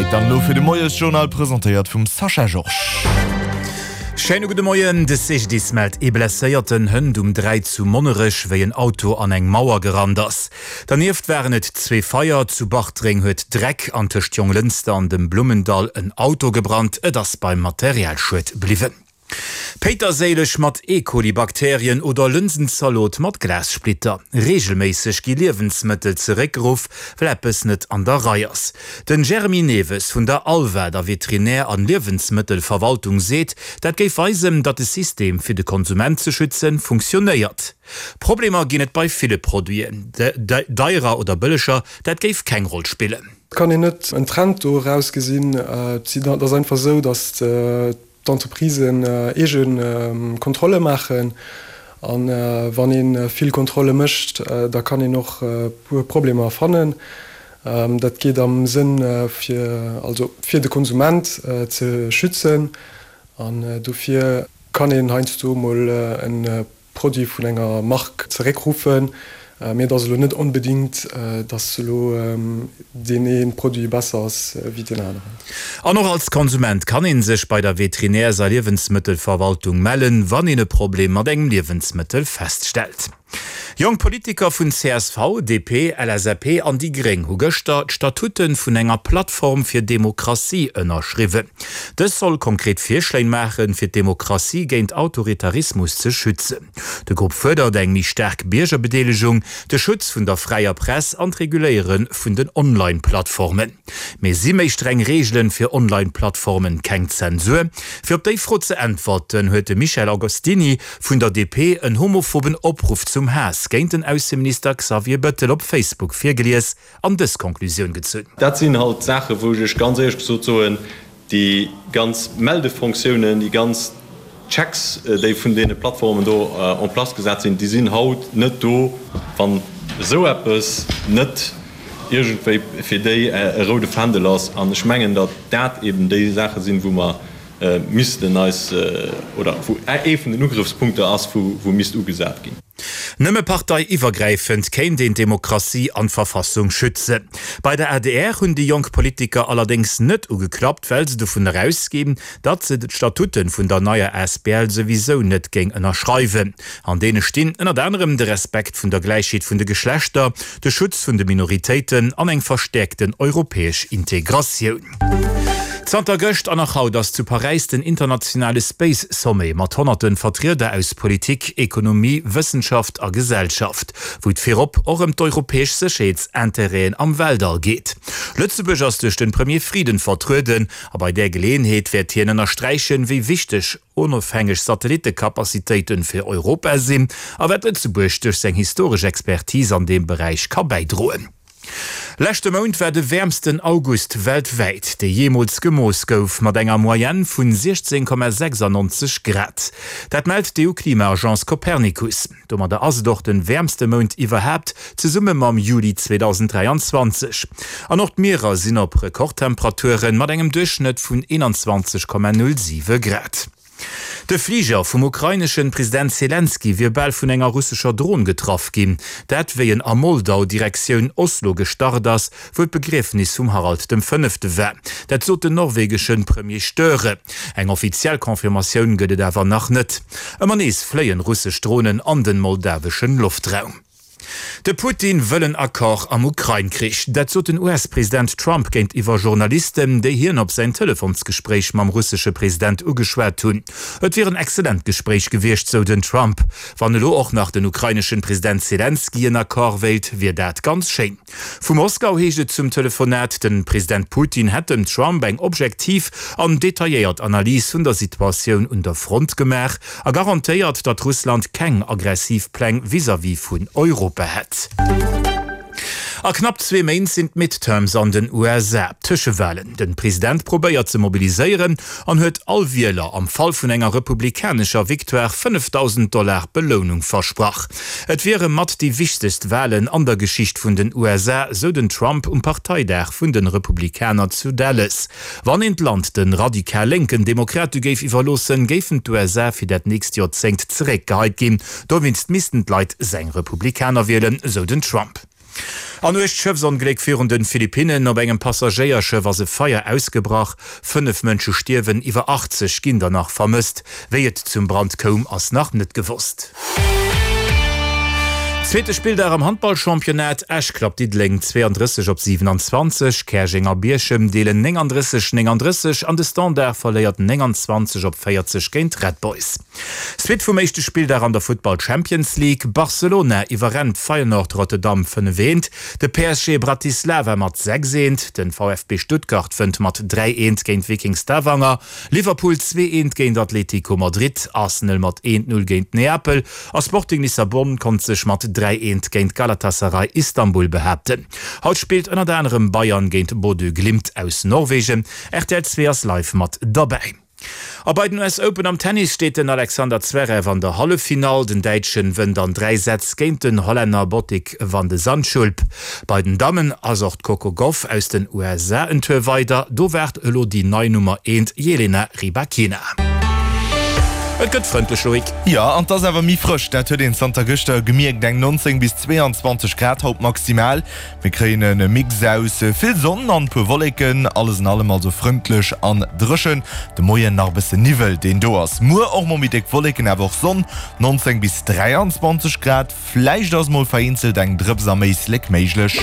Zäit dann elo fir de Moiesjournal, presentéiert vum Sascha Georges. Schéine gudde Moien. De CGDIS mellt ee Blesséierten hënt um 3 zu Monnerech, wéi en Auto an eng Mauer gerannt ass. Dernieft waren et zwee Feier. Zu Bartreng huet Dreck an tëscht Jonglënster an dem Blummendall en Auto gebrannt. Et ass beim Materialschued bliwwen. Péiterséileg mat E-Coli-Bakterien oder Lënsenzalot mat Glassplitter. Reegelméisseg gi Liewensmëttel zeréckgeruff, well eppes net an der Rei ass. Den Jeremy Neves vun der ALVA, der Veterinär an Liewensmëttelverwaltung, seet, dat géif weisen, datt de System fir de Konsument ze schützen, funktionéiert. Problemer ginn et bei ville Produiten, deierer oder bëlleger, dat géif keng Roll spillen. Et kann een net en Trend do erausgesinn. Et ass einfach esou, datt d'Entreprisen eege Kontrolle maachen. A wann ee vill Kontrolle mécht, da kann een och e puer Problemer fannen. Dat geet am Sënn fir also fir de Konsument ze schützen. An dofir kann een heiansdo mol e Produit vun enger Mark zeréckruffen, mee et ass elo net onbedingt, dass elo deen ee Produit besser ass wéi deen aneren. An och als Konsument kann ee sech bei der Veterinärs a Liewensmëttelverwaltung mellen, wann een e Problem mat engem Liewensmëttel feststellt. Jonk Politiker vun csv, DP, LSAP an déi gréng hu gëschter d'Statute vun enger Plattform fir Demokratie ënnerschriwwen. Dës soll konkret Virschléin maachen, fir d'Demokratie géint Autoritarismus ze schützen. De Grupp fuerdert eng méi staark Biergerbedeelegung, de Schutz vun der fräier Press an d'Reguléiere vun den Online-Plattformen. Mee si méi streng Reegelen fir Online-Plattformen keng Zensur? Fir op déi Fro ze äntwerten, huet de Michel Agostini vun der DP en homophoben Opruff zum Haass géint den Ausseminister Xavier Bëttel op Facebook virgelies. an dës Konklusioun gezunn. Dat sinn halt Saachen, wou ech ganz éierlech gesot soen, déi ganz Meldefonctiounen, déi ganz Checks, déi vun deene Plattformen do en place gesat sinn, déi sinn haut net do, wann esou eppes net iergendwéi fir déi e roude Fändel ass. An ech mengen, datt dat eben déi Saache sinn, wou mer missten eis, oder wou ee vun den Ugrëffspunkter ass, wou misst ugesat ginn. Nëmme parteiiwwergräifend kéint een d'Demokratie an d'Verfassung schützen. Bei der adr hunn déi jonk Politiker allerdéngs net ugeklappt, well se dovun erausginn, datt se d'Statuten vun der neier asbl souwisou net géing ënnerschreiwen. An deene stinn ënnert anerem de Respekt vun der Gläichheet vun de Geschlechter, de Schutz vun de Minoritéiten an eng verstäerkten europäesch Integratioun. Zanter gëscht an nach haut ass zu Paräis den internationale Space Sommet mat honnerte Vertrieder aus Politik, Ekonomie, Wëssenschaft a Gesellschaft, wou et virop och ëm d'europäesch Sécherheetsintérêten am Weltall geet. Lëtzebuerg ass duerch den Premier Frieden vertrueden a bei där Geleeënheet wäert hien ënnersträichen, wéi wichteg onofhängeg Satellittecapacitéiten fir Europa sinn a wat Lëtzebuerg duerch seng historesch Expertise an deem Beräich ka bäidroen. Leschte Mount war de wäermsten August weltwäit, dee jeemools gemooss gouf, mat enger Moyenne vun 16,96 Grad. Dat mellt d'EU-Klima-Agence Copernicus. Domadder ass et och de wäermste Mount iwwerhaapt, zesumme mam Juli 2023. An och d'Mierer sinn op Rekordtemperaturen, mat engem Duerchschnëtt vun 21,07 Grad. De Fliger vum ukraineschen President Selenskyj wier bal vun enger russescher Dron getraff ginn. Dat wéi en a Moldau Direktioun Oslo gestart ass, wou d'Begriefnis vum Harald dem Fënnefte war. Dat sot den norwegeschen Premier Støre. Eng offiziell Confirmatioun gëtt et awer nach net. Ëmmer nees fléien russesch Dronen an den moldaweschen Loftraum. De Putin wëll en Accord am Ukrain-Krich. Dat sot den US-President Trump géintiwwer Journalisten, déi hien op säin Telefonsgespréich mam russesche President ugeschwat hunn. Et wier en excellent Gespréich gewiescht, sou den Trump. Wann elo och nach den ukraineschen President Selenskyj en Accord wéilt, wier dat ganz schéin. Vu Moskau heescht et zum Telefonat, de President Putin hätt dem Trump eng objektiv an detailléiert Analys vun der Situatioun un der Front gemaach a garantéiert, datt Russland keng aggressiv Pläng vis-à-vis vun Europa hätt. A knapp zwee Méint sinn d'Midterms an den USA, Tëschewalen. Den President probéiert ze mobiliséieren an huet all Wieler am Fall vun enger republikanescher Victoire 5.000 Dollar Belounung versprach. Et wiere mat déi wichtegst Walen an der Geschicht vun den USA, sou den Trump um Parteidag vun de Republikaner zu Dallas. Wann een d'Land de radikal lénken Demokrate géif iwwerloossen, géifen d'USA fir dat nächst Joerzéngt zeréckgeheit ginn. Dowéinst missten d'Leit seng Republikaner wielen, sou den Trump. An uergt Schëffsongléck virun de Philippinnen, Op engem Passagéierschëff ass e Feier ausgebrach. 5 Mënsche stierwen, iwwer 80 ginn der nach vermësst. Wéi et zum Brand koum, ass nach net gewosst. Zweete Spilldag am Handballchampionnat, Esch klappt Diddeleng 32 op 27, Käerjeng a Bierchem deelen 39, 39 an de Standard verléiert 29 op 40 géint Red Boys. Suite vum éischte Spilldag an der Futtball Champions League, Barcelona iwwerrennt Feyenoord Rotterdam 5, 1, de PSG Bratislava mat 6, 1, den VfB Stuttgart wënnt mat 3, 1 géint Viking Stavanger, Liverpool 2, 1 géint Atlético Madrid, Arsenal mat 1, 0 géint Neapel a Sporting Lissabon konnt sech mat 3, 1 géint Galatasaray Istanbul behaapten. Haut spillt ënnert anerem Bayern géint Bodø Glimt aus Norwegen. Rtl 2 ass live mat derbäi. A bei den US Open am Tennis steet den Alexander Zverev an der Halleffinall. Den Däitschen wënnt an 3 Sätz géint den Hollänner Botic van de Zandschulp. Bei den Dammen ass och d'Coco Gauff aus den USA en Tour weider. Do waart elo déi nei Nummer eent Jelena Rybakina. Et gëtt frëndlech, Loïc. Jo, an 't ass awer méi frësch, dat huet een zanter gëschter gemierkt. Eng 19 bis 22 Grad haut maximal. Mir kréien e Mix aus vill Sonn an puer Wolleken, alles an allem also frëndlech an dréchen. De Moien nach e bësse Niwwel deen do ass. Muer och mol méi déck Wolleken, awer och Sonn, 19 bis 23 Grad. Vläicht ass mol vereenzelt eng Drëps am Éislek méiglech.